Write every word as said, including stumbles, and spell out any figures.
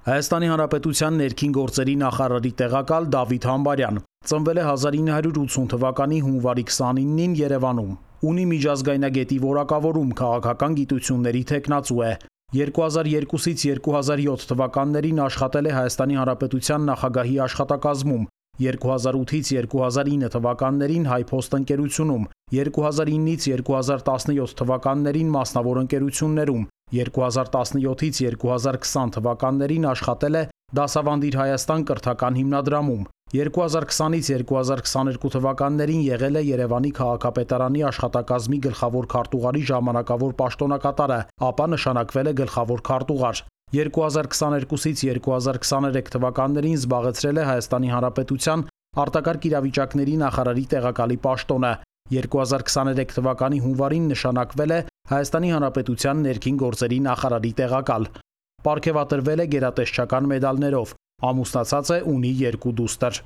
Հայաստանի Հանրապետության ներքին գործերի նախարարի տեղակալ Դավիթ Համբարյան ծնվել է հազար ինը հարյուր ութսուն թվականի հունվարի քսանինին Երևանում։ Ունի միջազգայնագետի որակավորում, քաղաքական գիտությունների թեկնածու է։ երկու հազար երկուսից երկու հազար յոթ թվականներին աշխատել է Հայաստանի Հանրապետության նախագահի աշխատակազմում, երկու հազար ութից երկու հազար ինը թվականներին Հայփոստ ընկերությունում, երկու հազար ինից երկու հազար տասնյոթ թվականներին մասնավոր ընկերություններում, երկու հազար տասնյոթից երկու հազար քսան թվականներին աշխատել է Դասավանդիր Հայաստան կրթական հիմնադրամում, երկու հազար քսանից երկու հազար քսաներկու թվականներին եղել է Երևանի քաղաքապետարանի աշխատակազմի գլխավոր քարտուղարի ժամանակավոր պաշտոնակատարը, ապա նշանակվել է գլխավոր քարտուղար։ երկու հազար քսաներկուսից երկու հազար քսաներեք թվականներին զբաղեցրել է Հայաստանի Հանրապետության արտակարգ իրավիճակների նախարարի տեղակալի պաշտոնը։ երկու հազար քսաներեք թվականի հունվարին նշանակվել է Հայաստանի Հանրապետության ներքին գործերի նախարարի տեղակալ։ Պարգևատրվել է գերատեսչական մեդալներով, ամուսնացած է, ունի երկու դուստր։